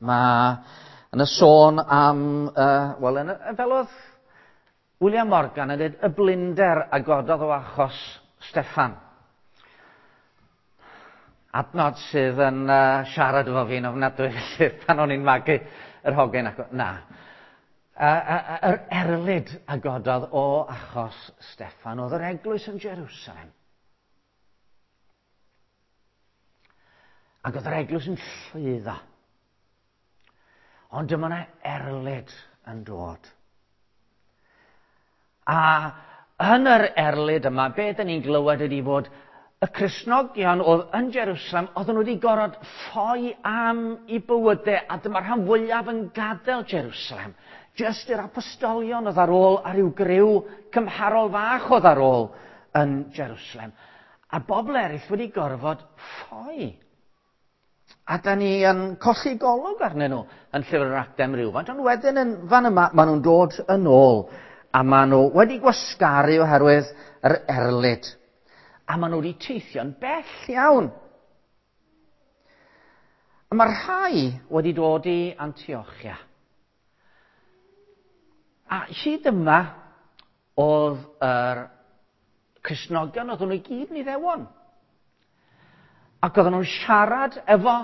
Mae yn y sôn am, wel, yn y, fel oedd William Morgan yn dweud, y blinder a gododd o achos Steffan. Adnod sydd yn siarad efo fi'n ofnadwy felly pan o'n i'n magu yr hogyn ac na. Yr erlid a gododd o achos Steffan oedd yr eglwys yn Jerusalem. Ac oedd yr eglwys yn llwyddo. Ond dyma yna erlid yn dod. A yn yr erlid yma, be dyn ni'n glywed ydy fod y Cristnogion oedd yn Jerusalem, oedden nhw wedi gorfod ffoi am i bywydau, a dyma'r rhan fwyaf yn gadael Jerusalem. Jyst i'r apostolion oedd ar ôl a rhyw griw cymharol fach oedd ar ôl yn Jerusalem. A bobl eraill wedi gorfod ffoi. A da ni yn colli golwg arnyn nhw yn llyfr yr Actau am rywfaint, ond wedyn yn fan yma maen nhw'n dod yn ôl a maen nhw wedi gwasgaru oherwydd yr erlid. A maen nhw wedi teithio'n bell iawn. A mae rhai wedi dod i Antiochia. A hyd yma oedd yr Cristnogion, oedden nhw i gyd yn Iddewon. Ac oedden nhw'n siarad efo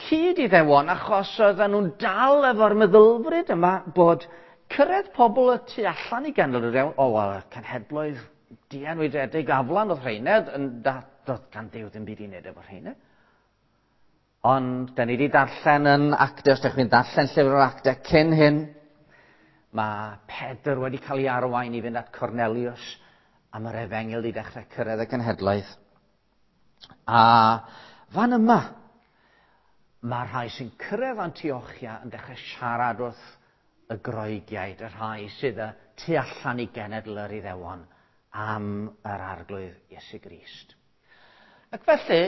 cyd Iddewon, achos oedden nhw'n dal efo'r meddylfryd yma bod cyrraedd pobl y tu allan i genedl yr Iddewon, o, wel, cenhedloedd dienwydedig aflan oedd rheina, yn da, doedd gan Duw ddim byd i wneud efo rheina. Ond, da ni wedi darllen yn Actau, os ydych chi'n darllen llyfr o'r Actau cyn hyn, mae Pedr wedi cael ei arwain i fynd at Cornelius a mae'r efengyl wedi dechrau cyrraedd y genhedlaeth. A fan yma, mae rhai sy'n cyrraedd Antiochia yn dechrau siarad wrth y Groegiaid, y rhai sydd y tu allan i genedl yr Iddewon am yr Arglwydd Iesu Grist. Ac felly,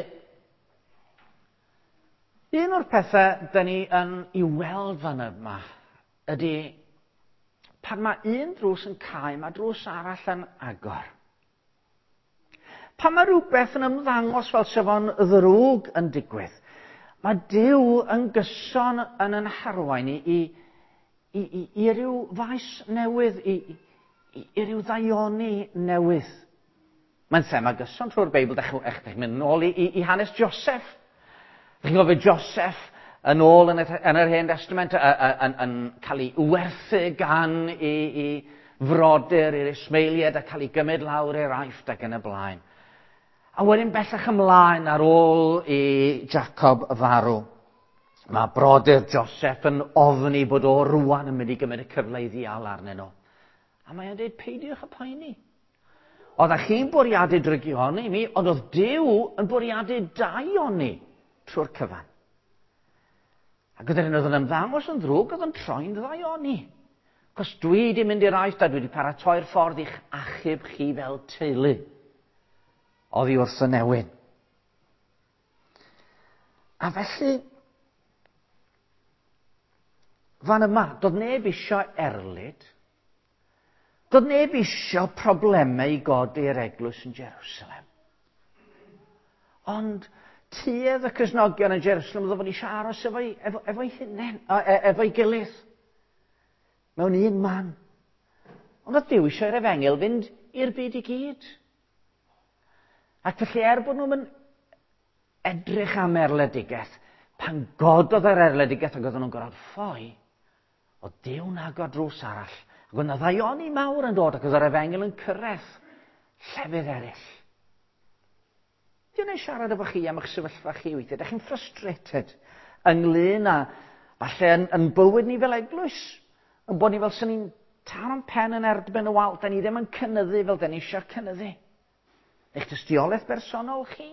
un o'r pethau da ni yn i weld fan yma ydy pan mae un drws yn cau, mae drws arall yn agor. Pan mae rhywbeth yn ymddangos fel sef o'n ddrwg yn digwydd, mae Duw yn gyson yn yn harwain i, i, i, i, i ryw faes newydd, i, i, i ryw ddaioni newydd. Mae'n thema gyson trwy'r Beibl. Dach chi'n mynd nôl i, i, i hanes Joseph. Dach chi'n gofio Joseph yn ôl yn, y, yn yr Hen Testament yn, yn, cael ei werthu gan i, i frodyr i'r Ismaeliaid a cael ei gymryd lawr i'r Aifft ac yn y blaen. A wedyn bellach ymlaen ar ôl i Jacob farw. Mae brodyr Joseph yn ofni bod o rwan yn mynd i gymryd y cyfle i ddial arnyn nhw. A mae o'n dweud, peidiwch y poeni. Oeddech chi'n bwriadu drygioni mi, ond oedd Duw yn bwriadu daioni trwy'r cyfan. Ac oedd yr oedd yn ymddangos yn ddrwg, oedd yn troi'n ddaioni. Cos dwi wedi mynd i'r Aifft a dwi wedi paratoi'r ffordd i'ch achub chi fel teulu. Oddi wrth y newyn. A felly, fan yma, doedd neb eisiau erlid. Doedd neb isio problemau i godi'r eglwys yn Jerusalem. Ond tuedd y Cristnogion yn Jerusalem oedd fod eisiau aros efo'i efo, efo hunain, e, efo'i gilydd. Mewn un man. Ond oedd Duw eisiau i'r efengyl fynd i'r byd i gyd. Ac felly er bod nhw'n edrych am erledigaeth, pan gododd yr erledigaeth ac oedden nhw'n gorfod ffoi, Oedd Duw'n agor drws arall. Ac oedd yna ddaioni mawr yn dod ac oedd yr efengyl yn cyrraedd llefydd eraill. Dwi'n ei siarad efo chi am eich sefyllfa chi weithiau. Dych chi'n frustrated ynglyn â falle yn, yn bywyd ni fel eglwys. Yn bod ni fel sy'n ni'n taro'n pen yn erbyn y wal. Da ni ddim yn cynyddu fel da ni eisiau cynyddu. Eich tystiolaeth bersonol chi?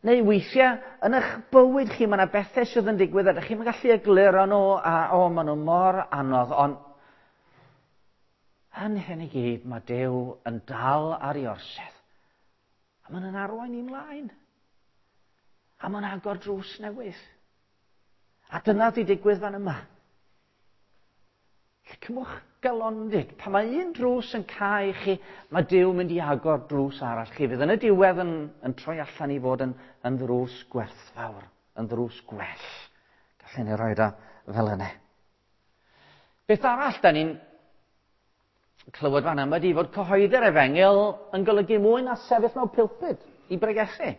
Neu weithiau, yn eich bywyd chi, mae yna bethau sydd yn digwydd a ydych chi'n gallu egluro nhw, a o, maen nhw mor anodd, ond yn hyn i gyd, mae Duw yn dal ar ei orsedd. A mae'n yn arwain ni'n mlaen. A mae'n agor drws newydd. A dyna di digwydd fan yma. Lle cymwch galondid. Pan mae un drws yn cau chi, mae Duw mynd i agor drws arall chi. Fydd yn y diwedd yn, yn troi allan i fod yn, yn ddrws gwerthfawr, yn ddrws gwell. Felly ni roed o fel yna. Beth arall da ni'n clywed fan yma ydy fod cyhoeddi'r efengyl yn golygu mwy na sefyll mewn pulpud i bregethu.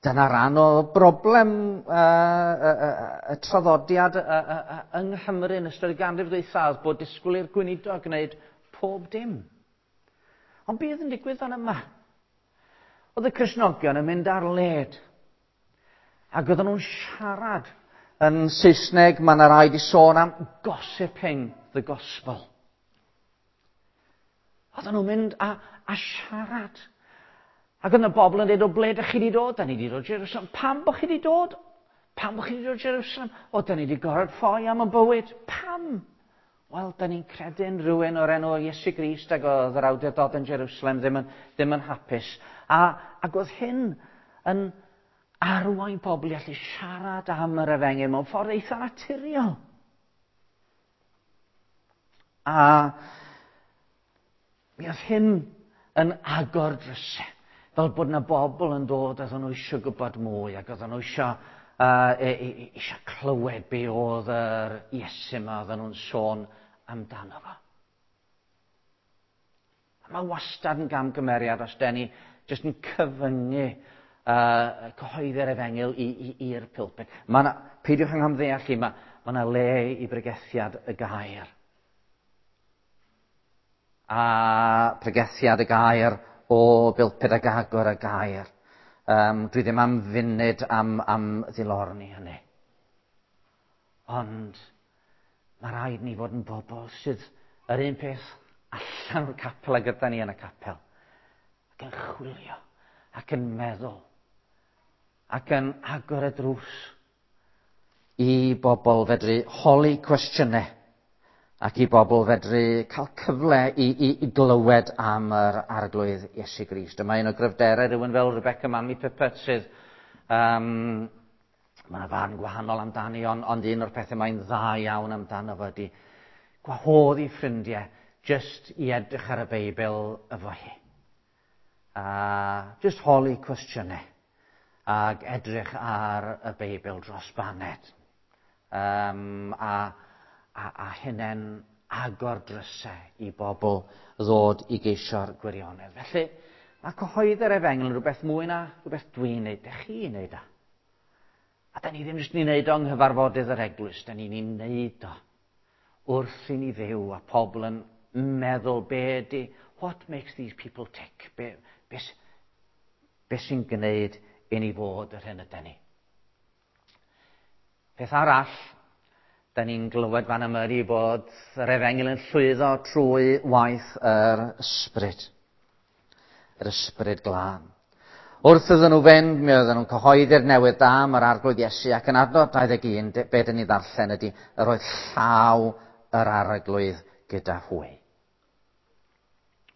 Dyna ran o broblem y traddodiad yng Nghymru yn ystod y ganrif ddwythaf bod disgwyl i'r gweinidog gwneud pob dim. Ond bydd yn digwydd fan yma. Oedd y Cristnogion yn mynd ar led. Ac oedden nhw'n siarad yn Saesneg, mae yna rai di sôn am gossiping the gospel. Oedden nhw'n mynd a, a siarad. Ac oedd yna bobl yn dweud, o ble ydych chi wedi dod? Da ni wedi dod Jerusalem. Pam bod chi wedi dod? Pam bod chi wedi dod Jerusalem? O, da ni wedi gorfod ffoi am y bywyd. Pam? Wel, da ni'n credu'n rhywun o'r enw Iesu Grist ac oedd yr awdurdod yn Jerusalem ddim yn, ddim yn hapus. A, ac oedd hyn yn arwain pobl i allu siarad am yr efengyl mewn ffordd eitha naturiol. A mi oedd hyn yn agor drysau. Fel bod yna bobl yn dod a oedden nhw eisiau gwybod mwy ac oedden nhw eisiau, eisiau clywed be oedd yr Iesu yma oedden nhw'n sôn amdano fo. A mae wastad yn gamgymeriad os den ni jyst yn cyfyngu cyhoeddi'r efengyl i'r pulpit. Mae yna, peidiwch yng nghamddeall i, mae, mae yna le i bregethiad y gair. A pregethiad y gair o bulpit ag agor y gair. Um, dwi ddim am funud am, am ddilorni hynny. Ond mae rhaid ni fod yn bobl sydd yr un peth allan o'r capel a gyda ni yn y capel. Ac yn chwilio, ac yn meddwl, ac yn agor y drws i bobl fedru holi cwestiynau ac i bobl fedru cael cyfle i, i, i glywed am yr arglwydd Iesu Grist. Dyma un o gryfderau rhywun fel Rebecca Manley Pippert sydd... Um, mae yna farn gwahanol amdani, ond, ond un o'r pethau mae'n dda iawn amdano fo ydy gwahodd i ffrindiau just i edrych ar y Beibl efo hi. A just holi cwestiynau ac edrych ar y Beibl dros baned. Um, a, a, a hynny'n agor drysau i bobl ddod i geisio'r gwirionedd. Felly, mae cyhoeddi'r efengyl yn rhywbeth mwy na rhywbeth dwi'n neud, dych chi'n neud o. A da ni ddim jyst ni'n neud o yng nghyfarfodydd yr eglwys, da ni'n ei neud o wrth i ni fyw a pobl yn meddwl be ydy, what makes these people tick? Be, be, be sy'n gwneud i ni fod yr hyn ydy ni? Peth arall, da ni'n glywed fan yma ydy bod yr efengyl yn llwyddo trwy waith yr ysbryd. Yr ysbryd glân. Wrth iddyn nhw fynd, mi oedden nhw'n cyhoeddi'r newydd da am yr arglwydd Iesu ac yn adnod 21, be dyn ni ddarllen ydy, yr oedd llaw yr arglwydd gyda hwy.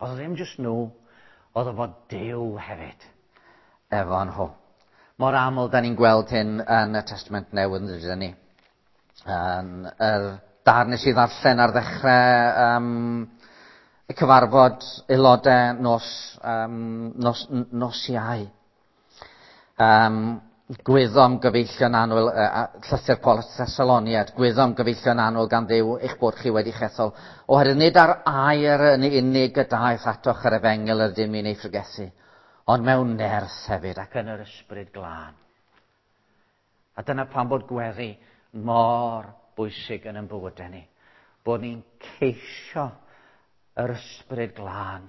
Oedd o ddim jyst nhw, oedd o fod Duw hefyd efo nhw. Mor aml da ni'n gweld hyn yn y Testament Newydd yn dydyn ni. Yn yr darn nes i ddarllen ar ddechrau um, y cyfarfod aelodau nos, um, nos, nos Iau. Um, gwyddom gyfeillion annwyl, uh, llythyr Paul at Thessaloniad, gwyddom gyfeillion annwyl gan Dduw eich bod chi wedi chethol, oherwydd nid ar air yn unig y daeth atoch yr efengyl yr ydym ni'n ei phregethu, ond mewn nerth hefyd ac yn yr ysbryd glân. A dyna pam bod gweddi mor bwysig yn ein bywydau ni. Bod ni'n ceisio yr ysbryd glân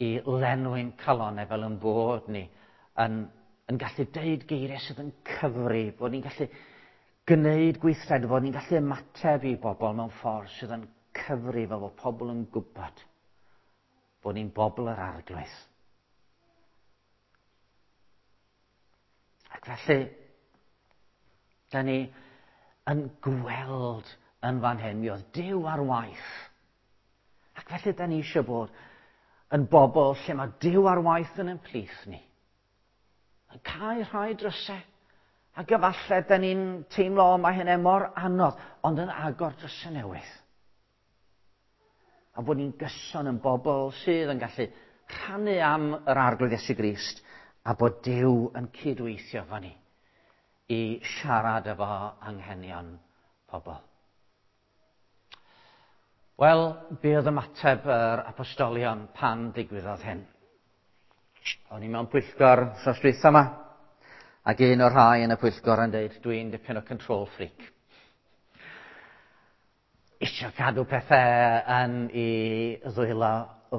i lenwi'n calonau fel yn bod ni yn, yn gallu deud geiriau sydd yn cyfri, bod ni'n gallu gwneud gweithred, bod ni'n gallu ymateb i bobl mewn ffordd sydd yn cyfri fel bod pobl yn gwybod bod ni'n bobl yr arglwydd. Ac felly, da ni yn gweld yn fan hyn, mi oedd Duw ar waith. Ac felly da ni eisiau bod yn bobl lle mae Duw ar waith yn ein plith ni. Yn cael rhai drysau. Ac efallai da ni'n teimlo, mae hynny mor anodd, ond yn agor drysau newydd. A bod ni'n gyson yn bobl sydd yn gallu rhannu am yr arglwydd Iesu Grist A bod Duw yn cydweithio efo ni i siarad efo anghenion pobl. Wel, be oedd ymateb yr apostolion pan ddigwyddodd hyn? O'n i mewn pwyllgor wrthnos dwytha yma, ac un o'r rhai yn y pwyllgor yn dweud, dwi'n dipyn o control freak. Isio cadw pethau yn i ddwylo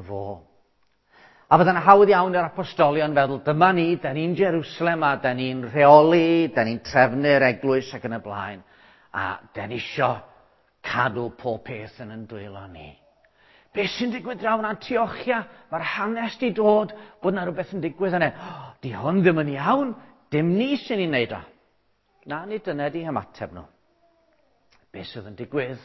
fo. A fydda'n hawdd iawn i'r apostolion feddwl, dyma ni, da ni'n Jerusalem a da ni'n rheoli, da ni'n trefnu'r eglwys ac yn y blaen, a da ni isio cadw pob peth yn yn dwylo ni. Be sy'n digwydd draw yn Antiochia? Mae'r hanes di dod bod yna rhywbeth yn digwydd yna. Oh, di hwn ddim yn iawn, dim ni sy'n ei wneud o. Na, nid dyna di hymateb nhw. Be sydd yn digwydd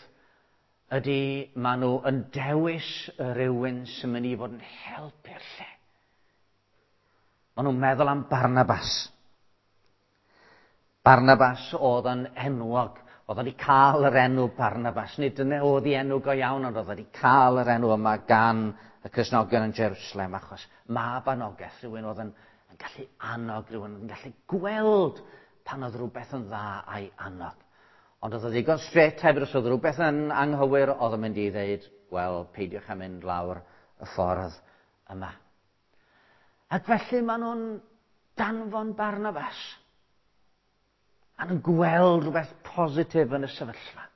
ydy maen nhw yn dewis rhywun sy'n mynd i fod yn help i'r lle. Maen nhw'n meddwl am Barnabas. Barnabas oedd yn enwog. Oedd wedi cael yr enw Barnabas. Nid dyna oedd ei enw go iawn, ond oedd wedi cael yr enw yma gan y Cristnogion yn Jerusalem, achos mab anogaeth, rhywun oedd yn, yn gallu annog, rhywun oedd yn gallu gweld pan oedd rhywbeth yn dda a'i annog. Ond oedd o ddigon straight hefyd, os oedd rhywbeth yn anghywir, oedd o'n mynd i ddeud, wel, peidiwch â mynd lawr y ffordd yma. Ac felly maen nhw'n danfon Barnabas. Maen nhw'n gweld rhywbeth positif yn y sefyllfa.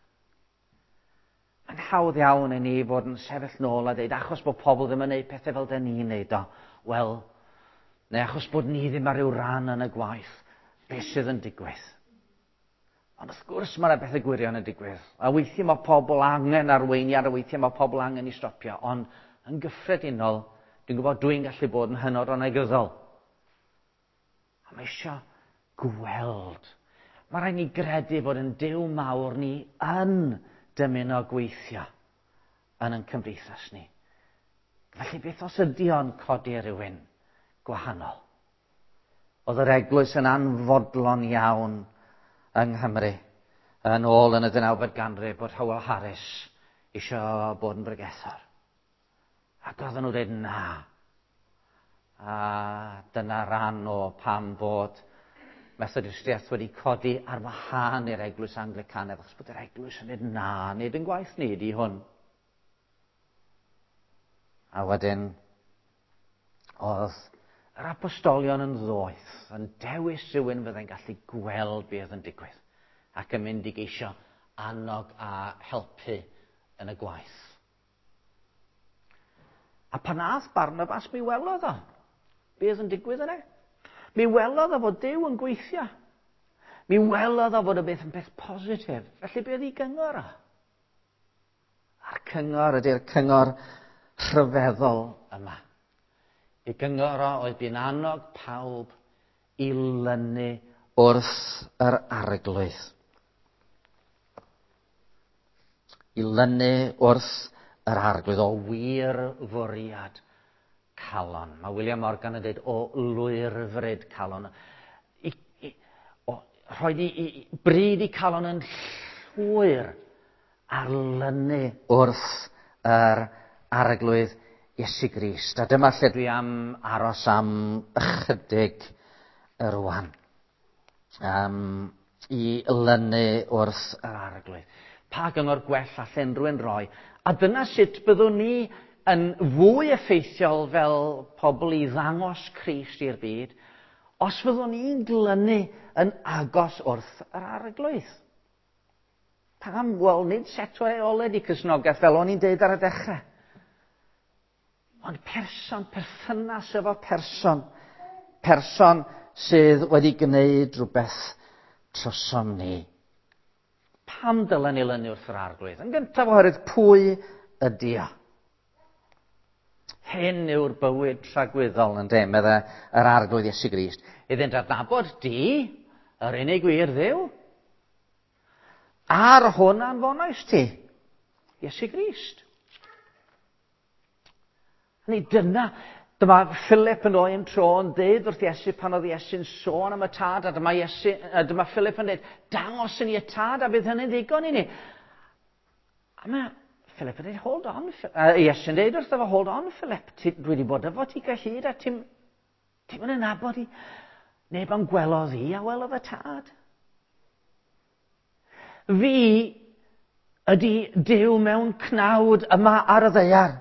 Mae'n hawdd iawn i ni fod yn sefyll nôl a dweud, achos bod pobl ddim yn gwneud pethau fel dyn ni'n neud o, wel, neu achos bod ni ddim ar ryw ran yn y gwaith, beth sydd yn digwydd? Ond wrth gwrs mae yna bethau gwirion yn digwydd. A weithiau mae pobl angen arweiniad, a weithiau mae pobl angen i stopio. Ond yn gyffredinol, dwi'n gwybod dwi'n gallu bod yn hynod o negyddol. A mae eisiau gweld. Mae rhaid ni gredu bod yn Duw mawr ni yn dymuno gweithio yn ein cymdeithas ni. Felly beth os ydy o'n codi rhywun gwahanol? Oedd yr eglwys yn anfodlon iawn yng Nghymru yn ôl yn y 19fed ganrif bod Howell Harris eisiau bod yn bregethwr. Ac oedden nhw'n dweud na. A dyna ran o pam bod Methodistiaeth wedi codi ar wahân i'r eglwys Anglicanaidd, achos bod yr eglwys yn dweud na, nid yn gwaith ni di hwn. A wedyn, oedd yr apostolion yn ddoeth, yn dewis rhywun fyddai'n gallu gweld beth yn digwydd, ac yn mynd i geisio annog a helpu yn y gwaith. A pan ath Barnabas, mi welodd o beth yn digwydd yna. Mi welodd o fod Duw yn gweithio. Mi welodd o fod y beth yn beth positif. Felly beth i gyngor o? A'r cyngor ydy'r cyngor rhyfeddol yma. I gyngor o oedd bu'n annog pawb i lynu wrth yr arglwydd. I lynu wrth yr arglwydd o wir fwriad calon. Mae William Morgan yn dweud o lwyrfryd calon. I, i, o, rhoi i, i, bryd i calon yn llwyr ar lynu wrth yr arglwydd Iesu Grist. A dyma lle dwi am aros am ychydig rwan. Um, I lynu wrth yr arglwydd. Pa gyngor gwell all unrhywun roi? A dyna sut byddwn ni yn fwy effeithiol fel pobl i ddangos Crist i'r byd, os fyddwn ni'n glynu yn agos wrth yr arglwydd. Pam? Wel, nid set o reolau di Cristnogaeth fel o'n i'n deud ar y dechrau. Ond person, perthynas efo person. Person sydd wedi gwneud rhywbeth trosom ni. Pam dylen ni lynu wrth yr arglwydd? Yn gyntaf oherwydd pwy ydy o? Hyn yw'r bywyd tragwyddol yn de, medde yr arglwydd Iesu Grist. Iddynt adnabod di, yr unig wir Dduw, a'r hwn anfonais ti, Iesu Grist. Ni dyna, dyma Philip yn oen tro yn deud wrth Iesu pan oedd Iesu'n sôn am y tad, a dyma, Iesu, a dyma Philip yn deud, dangos i ni y tad a bydd hynny'n ddigon i ni. A mae Philip yn dweud, hold on, Iesu'n deud wrtho fo, hold on Philip, ti, dwi wedi bod efo ti gyhyd a ti'n Ti'n mynd yn nabod i? Neb am gwelodd i a welodd y tad. Fi ydy Duw mewn cnawd yma ar y ddaear.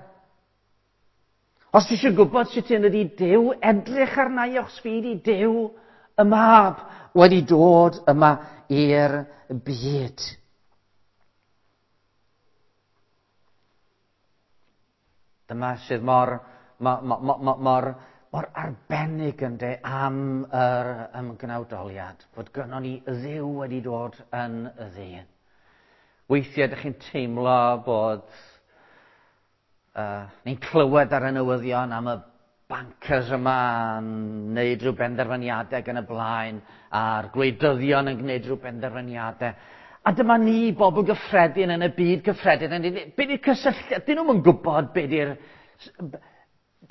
Os ti eisiau gwybod sut un ydy Duw, edrych arna i os fi ydy Duw y mab wedi dod yma i'r byd. Dyma sydd mor, mor, mor, mor, mor arbennig ynde am yr ymgnawdoliad, fod gynnon ni Dduw wedi dod yn y ddyn. Weithiau ydych chi'n teimlo bod ni'n clywed ar y newyddion am y bankers yma yn gwneud rhyw benderfyniadau gan y blaen, a'r gwleidyddion yn gwneud rhyw benderfyniadau. A dyma ni, bobl gyffredin yn y byd gyffredin, yn dweud, be di'r cysylltiad? Dyn nhw'n gwybod be di'r...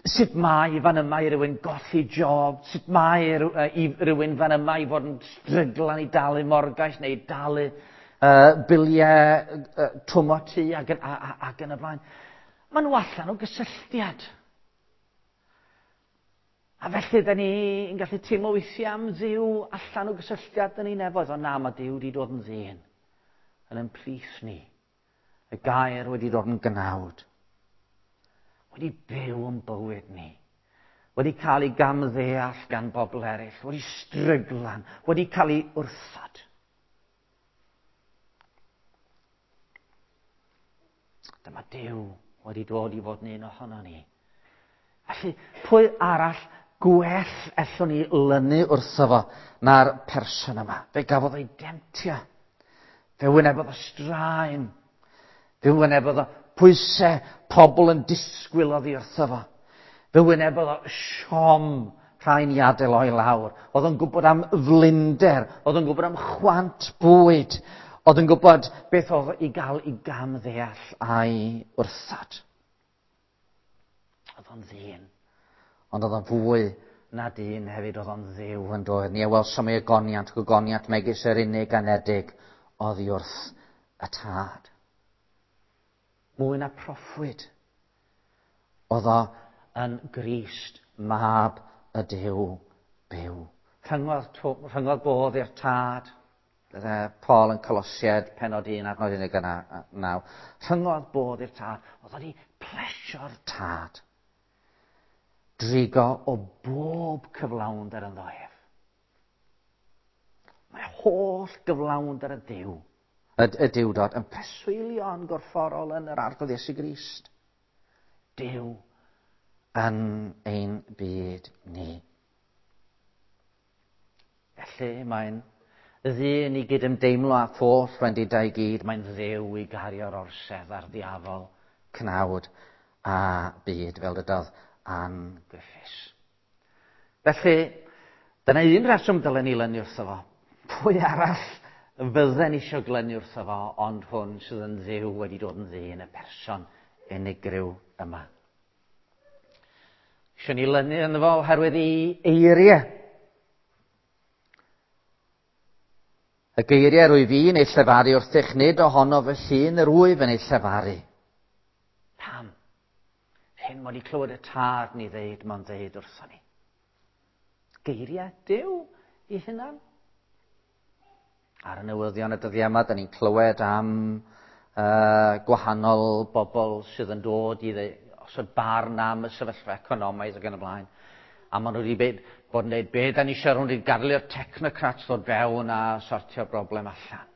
Sut mae fan yma i rywun golli job, sut mae i rywun fan yma i fod yn stryglan i dalu morgais neu dalu biliau twm o tŷ ac, a, a, ac yn y blaen. Maen nhw allan o gysylltiad. A felly, da ni'n gallu teimlo weithiau am Dduw allan o gysylltiad yn ei nefoedd. Ond na, mae Duw wedi dod yn ddyn yn ein plith ni. Y gair wedi dod yn gnawd. Wedi byw yn bywyd ni. Wedi cael ei gamddeall gan bobl eraill. Wedi stryglan. Wedi cael ei wrthod. Dyma Duw wedi dod i fod yn un ohono ni. Felly, pwy arall gwell ellwn ni lynu wrtho fo na'r person yma? Fe gafodd ei demtio. Fe wynebodd y straen. Fe wynebodd y pwysau pobl yn disgwyl oddi wrtho fo. Fe wynebodd o siom rhain i adael o'i lawr. Oedd o'n gwybod am flinder. Oedd o'n gwybod am chwant bwyd. Oedd yn gwybod beth oedd i gael i gam ddeall a'i wrthod. Oedd o'n ddyn. Ond oedd o'n fwy na dyn hefyd, oedd o'n ddiw yn dod. Ni a welsom ei ogoniant, gogoniant megis yr unig anedig oddi wrth y tad. Mwy na proffwyd. Oedd o yn Grist, mab y Duw byw. Rhyngodd, rhyngodd bodd i'r tad. Paul yn Colosiaid, penod 1, adnod 19. Rhyngodd bodd i'r tad. Oedd wedi plesio'r tad. Drigo o bob cyflawnder ynddo ef. Mae holl gyflawnder y Duw, y, y Duwdod, yn preswylio yn gorfforol yn yr Arglwydd Iesu Grist. Duw yn ein byd ni. Felly mae'n ddyn i gydymdeimlo â holl wendidau i gyd, mae'n ddew i gario'r orsedd a'r ddiafol, cnawd a byd, fel dydodd Ann Griffiths. Felly, dyna un reswm dylen ni lynu wrtho fo. Pwy arall fydden eisiau glynu wrtho fo, ond hwn sydd yn ddiw wedi dod yn ddyn, y person unigryw yma. Eisiau ni lynu ynddo fo oherwydd ei eiriau. Y geiriau rwyf fi'n ei llefaru wrthych, nid ohono fy hun yr wyf yn ei llefaru. Pam? Hyn mod i clywed y tad ni ddeud, mae'n ddeud wrthon ni. Geiriau Duw i hunan. Ar y newyddion y dyddiau yma, da ni'n clywed am gwahanol bobl sydd yn dod i osod barn am y sefyllfa economaidd ac yn y blaen. A maen nhw wedi bod yn dweud, be da ni eisiau, nhw wedi gadael i'r technocrats ddod fewn a sortio'r broblem allan.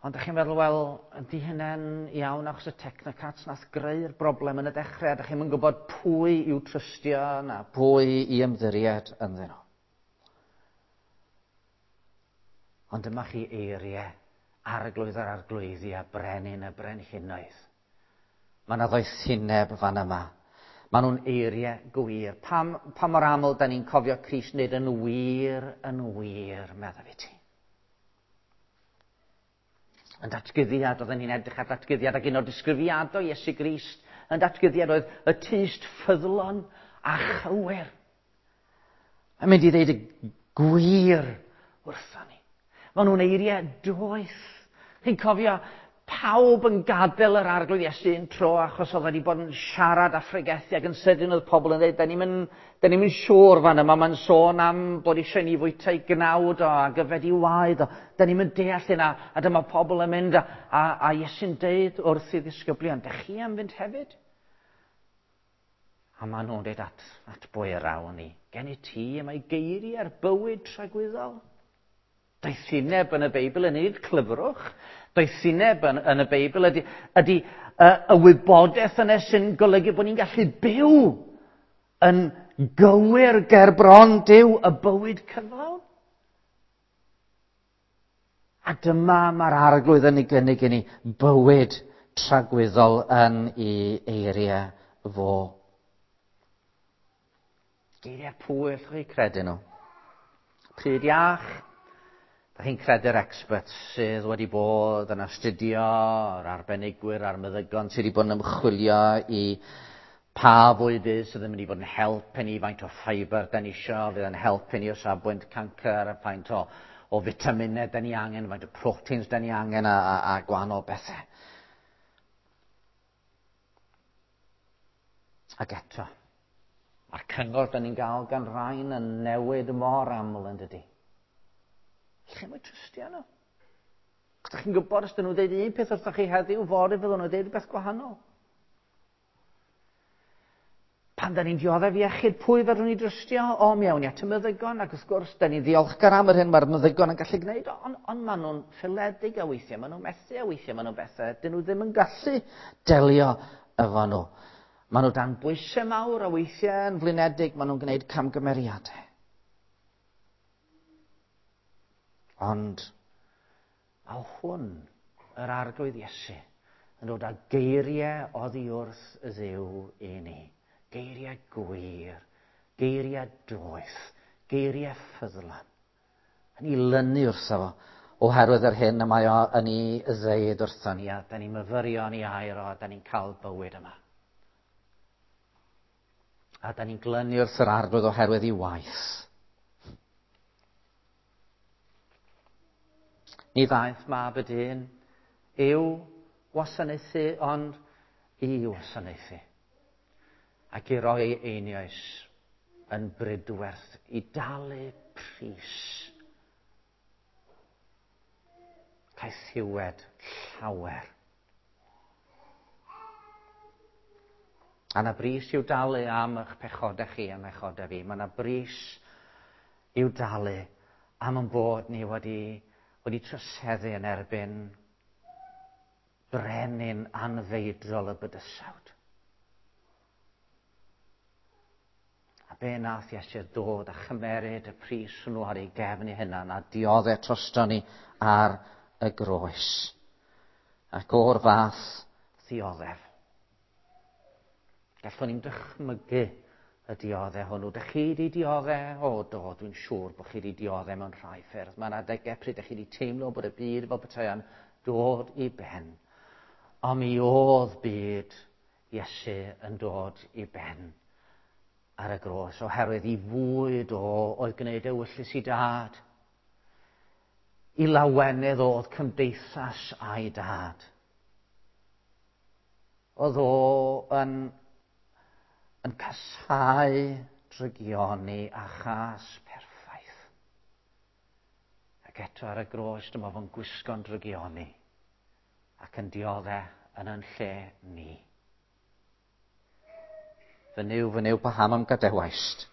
Ond ydych chi'n meddwl, wel, ydy hynny'n iawn achos y technocrats nath greu'r broblem yn y dechrau, a ydych chi'n gwybod pwy i'w trystio na pwy i ymddiried ynddyn nhw. Ond dyma chi eiriau arglwydd yr arglwyddi a brenin y brenhinoedd. Mae yna ddoethineb fan yma. Maen nhw'n eiriau gwir. Pam, pa mor aml da ni'n cofio Crist nid yn wir, yn wir, meddaf i ti. Yn datguddiad, oedden ni'n edrych ar datguddiad ac un o'r disgrifiadau Iesu Grist yn datguddiad oedd y tyst ffyddlon a chywir. Mae'n mynd i ddeud y gwir wrthon ni. Maen nhw'n eiriau doeth. Chi'n cofio pawb yn gadael yr arglwydd Iesu un tro achos oedd wedi bod yn siarad a phregethu ac yn sydyn oedd pobl yn dweud, da ni'n mynd siŵr fan yma, mae'n sôn am bod eisiau ni fwyta i gnawd o ac yfed i waed o, da ni'n mynd deall hynna, a dyma pobl yn mynd a, a, a Iesu'n deud wrth i ddisgyblion, da chi am fynd hefyd? A maen nhw'n dweud at, at bwy yr awn ni. Gen i ti y mae geiriau'r bywyd tragwyddol. Doethineb yn y Beibl yn unig clyfrwch. Doethineb yn, yn y Beibl ydy, ydy y, y wybodaeth yna sy'n golygu bod ni'n gallu byw yn gywir ger bron Duw y bywyd cyflawn. A dyma mae'r arglwydd yn ei gynnig i ni bywyd tragwyddol yn ei eiriau fo. Geiriau pwy allwch chi credu nhw? Pryd iach, da chi'n credu'r experts sydd wedi bod yn astudio, yr arbenigwyr a'r meddygon sydd wedi bod yn ymchwilio i pa fwydydd sydd yn mynd i fod yn help i ni, faint o ffeibr da ni isio, fydd yn help i ni o safbwynt cancr, faint o, o fitaminau da ni angen, faint o proteins da ni angen a, a, a gwahanol bethau. Ac eto, mae'r cyngor da ni'n gael gan rhain yn newid mor aml yn dydy. Lle mae trystio nhw? Os ydych chi'n gwybod, os dyn nhw'n dweud un peth wrthych chi heddiw, fory fyddwn nhw'n dweud rhywbeth gwahanol. Pan da ni'n dioddef iechyd, pwy fedrwn ni drystio? O, mi awn ni at y meddygon, ac wrth gwrs, da ni'n ddiolchgar am yr hyn mae'r meddygon yn gallu gwneud, ond on maen nhw'n ffiledig a weithiau, maen nhw'n methu a weithiau, maen nhw'n bethau, dyn nhw ddim yn gallu delio efo nhw. Maen nhw dan bwysau mawr a weithiau yn flinedig, maen nhw'n gwneud camgymeriadau. Ond a hwn, yr arglwydd Iesu, yn dod â geiriau oddi wrth y Dduw i ni. Geiriau gwir, geiriau doeth, geiriau ffyddlon. Yn ei lynu wrtho fo, oherwydd yr hyn y mae o yn ei ddeud wrtho ni, a da ni'n myfyrio yn ei air o, a da ni'n cael bywyd yma. A da ni'n glynu wrth yr arglwydd oherwydd ei waith. Ni ddaeth mab y dyn i'w wasanaethu, ond i wasanaethu. Ac i roi ei einioes yn brydwerth i dalu pris. Caethiwed llawer. A na bris i'w dalu am eich pechodau chi a mechodau fi. Mae yna bris i'w dalu am yn bod ni wedi, wedi troseddu yn erbyn brenin anfeidrol y bydysawd. A be nath Iesu dod a chymeryd y pris hwnnw ar ei gefn ei hunan a dioddef drosto ni ar y groes. Ac o'r fath ddioddef. Gallwn ni'n dychmygu y dioddef hwnnw. Dych chi wedi dioddef? O, do, dwi'n siŵr bod chi wedi dioddef mewn rhai ffyrdd. Mae yna adegau pryd ydych chi wedi teimlo bod y byd fel petai yn dod i ben. Ond mi oedd byd Iesu yn dod i ben ar y groes, oherwydd i fwyd o oedd gwneud ewyllys i dad. I lawenydd oedd cymdeithas a'i dad. Oedd o yn, yn casau drygioni a chas perffaith. Ac eto ar y groes dyma fo'n gwisgo'n drygioni ac yn diodde yn yn lle ni. Fy Nuw, fy Nuw, paham am gadewaist?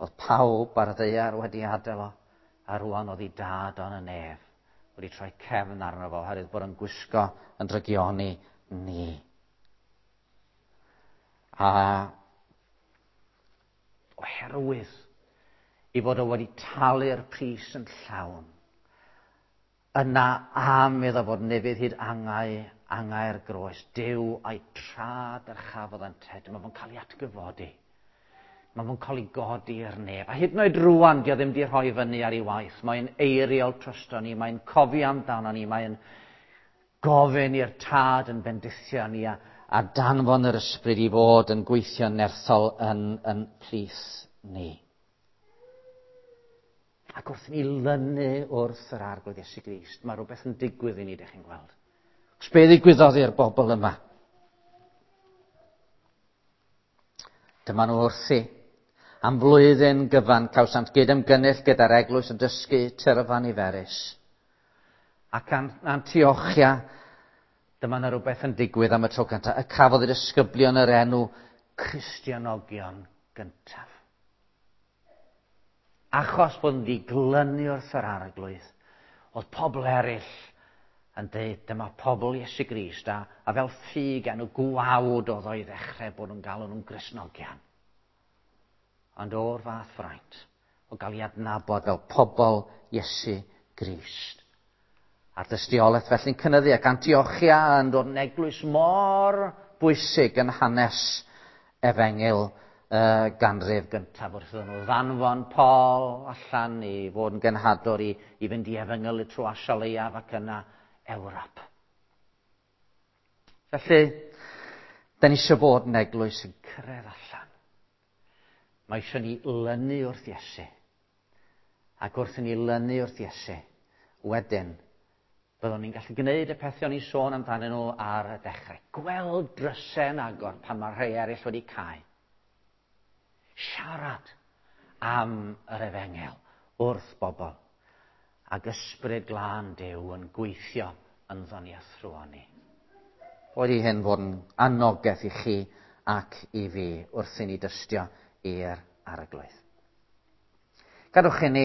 Oedd pawb ar y ddaear wedi adael o, a rwan oedd ei dad o'n y nef wedi troi cefn arno fo, oherwydd bod yn gwisgo yn drygioni ni. A oherwydd i fod o wedi talu'r pris yn llawn, Yna am iddo fod nefydd hyd angau, angau'r groes, Duw a'i tra dyrchafodd ynte, dyma fo'n cael ei atgyfodi. Mae fo'n cael ei godi i'r nef. A hyd yn oed rwan, dio ddim di rhoi fyny ar ei waith. Mae'n eiriol trosto ni, mae'n cofio amdano ni, mae'n gofyn i'r tad yn bendithio ni a, a danfon yr ysbryd i fod yn gweithio'n nerthol yn, yn plith ni. Ac wrth i ni lynu wrth yr Arglwydd Iesu Grist, mae rhywbeth yn digwydd i ni, dych chi'n gweld. Os be ddigwyddodd i'r bobl yma? Dyma nhw wrthi. Am flwyddyn gyfan cawsant gyd-ymgynnull gyda'r eglwys yn dysgu tyrfa niferus. Ac Antiochia, dyma yna rhywbeth yn digwydd am y tro cyntaf, y cafodd y disgyblion yr enw Cristionogion gyntaf. Achos bod nhw wedi glynu wrth yr Arglwydd, oedd pobl eraill yn dweud, dyma pobl Iesu Grist, a fel ffug enw gwawd oedd o'i ddechrau bod nhw'n galw nhw'n Gristnogion. Ond o'r fath fraint, o gael ei adnabod fel pobl Iesu Grist. A'r dystiolaeth felly'n cynyddu ac Antiochia yn dod yn eglwys mor bwysig yn hanes efengyl y ganrif gyntaf wrth iddyn nhw ddanfon Paul allan i fod yn genhadwr i fynd i efengylu trwy Asia Leiaf ac yna Ewrop. Felly, da ni eisiau bod yn eglwys yn cyrraedd allan. Mae eisiau ni lynu wrth Iesu. Ac wrth i ni lynu wrth Iesu, wedyn, byddwn ni'n gallu gwneud y pethau o'n i'n sôn amdanyn nhw ar y dechrau. Gweld drysau yn agor pan mae rhai eraill wedi cau. Siarad am yr efengyl wrth bobl. Ac ysbryd glân Duw yn gweithio ynddo ni a thrwy ni. Boed i hyn fod yn anogaeth i chi ac i fi wrth i ni dystio i'r Arglwydd. Gadwch i ni